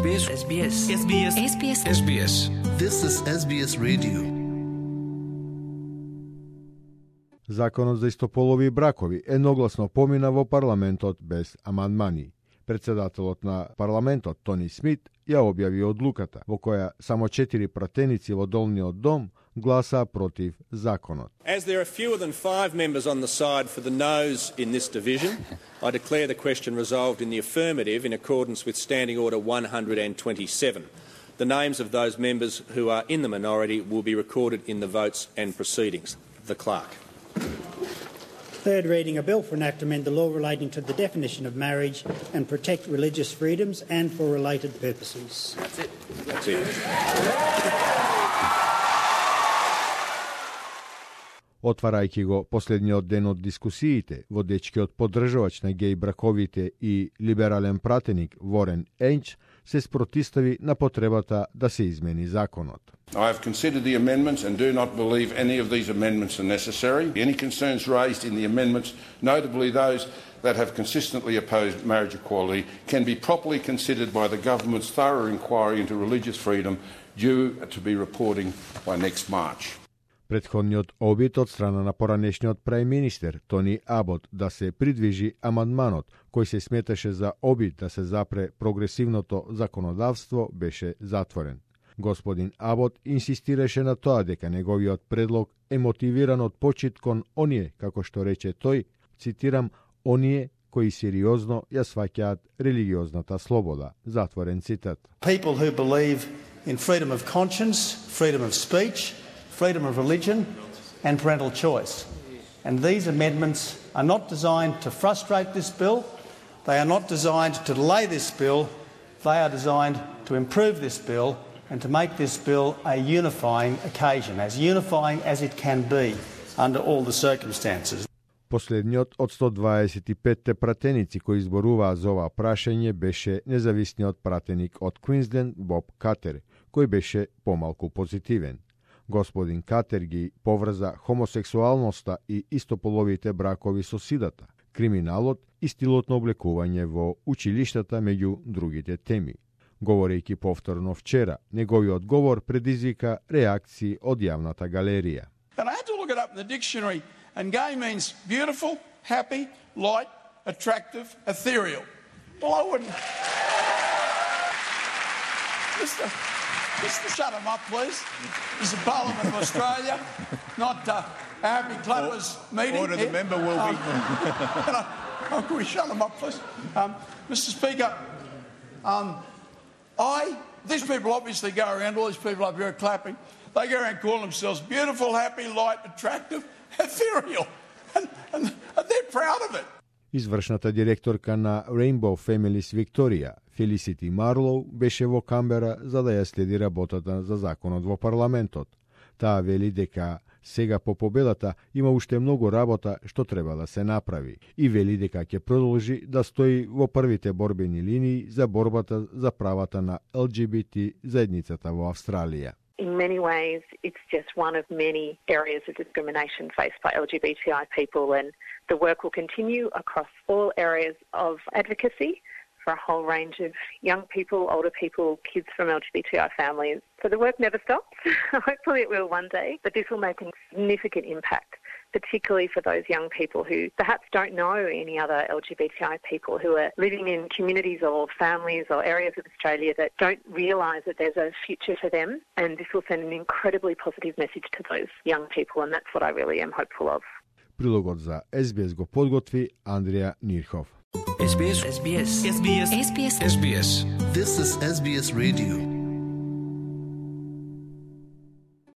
SBS. SBS. SBS. SBS. SBS. This is SBS Radio. Законот за истополови бракови едногласно помина во парламентот без амандмани. Председателот на парламентот Тони Смит ја објави одлуката, во која само 4 пратеници во долниот дом гласа против законот. As there are fewer than 5 members on the side for the noes in this division, I declare the question resolved in the affirmative in accordance with Standing Order 127. The names of those members who are in the minority will be recorded in the votes and proceedings. The Clerk. Third reading, a bill for an act to amend the law relating to the definition of marriage and protect religious freedoms and for related purposes. That's it. Отварајќи го последниот ден од дискусиите, водечкиот поддржавач на геј браковите и либерален пратеник Ворен Енч се спротистави на потребата да се измени законот. I have considered the amendments and do not believe any of these amendments are necessary. Any concerns raised in the amendments, notably those that have consistently opposed marriage equality, can be properly considered by the government's thorough inquiry into religious freedom due to be reporting by next March. Претходниот обид од страна на поранешниот прајминистер Тони Абот да се придвижи амандманот кој се сметаше за обид да се запре прогресивното законодавство беше затворен. Господин Абот инсистираше на тоа дека неговиот предлог е мотивиран од почит кон оние, како што рече тој, цитирам, оние кои сериозно ја сваќаат религиозната слобода. Затворен цитат. People who believe in freedom of conscience, freedom of speech, freedom of religion and parental choice. And these amendments are not designed to frustrate this bill. They are not designed to delay this bill. They are designed to improve this bill and to make this bill a unifying occasion, as unifying as it can be under all the circumstances. Последниот од 125 пратеници кои изборуваа за ова прашање беше независниот пратеник од Квинсленд Боб Катер, кој беше помалку позитивен. Господин Катер ги поврза хомосексуалноста и истополовите бракови со сидата, криминалот и стилот на облекување во училиштата меѓу другите теми. Говорејќи повторно вчера, неговиот говор предизвика реакции од јавната галерија. And I had to look it up in the dictionary, and gay means beautiful, happy, light, attractive, ethereal. Well, I wouldn't. Mr. Shut him up, please. This is the Parliament of Australia, not a happy clappers meeting. Order, the member will be. Can we shut him up, please? Mr. Speaker, these people obviously go around, all these people up here are clapping, they go around calling themselves beautiful, happy, light, attractive, ethereal, and they're proud of it. Извршната директорка на Rainbow Families Victoria, Felicity Marlow, беше во Камбера за да ја следи работата за законот во парламентот. Таа вели дека сега по победата има уште многу работа што треба да се направи и вели дека ќе продолжи да стои во првите борбени линии за борбата за правата на LGBT заедницата во Австралија. In many ways, it's just one of many areas of discrimination faced by LGBTI people, and the work will continue across all areas of advocacy for a whole range of young people, older people, kids from LGBTI families. So the work never stops. Hopefully it will one day, but this will make a significant impact, particularly for those young people who perhaps don't know any other LGBTI people who are living in communities or families or areas of Australia that don't realise that there's a future for them, and this will send an incredibly positive message to those young people, and that's what I really am hopeful of. Прилогот за SBS го подготви Андреја Нирхов. SBS. SBS. SBS. SBS. This is SBS Radio.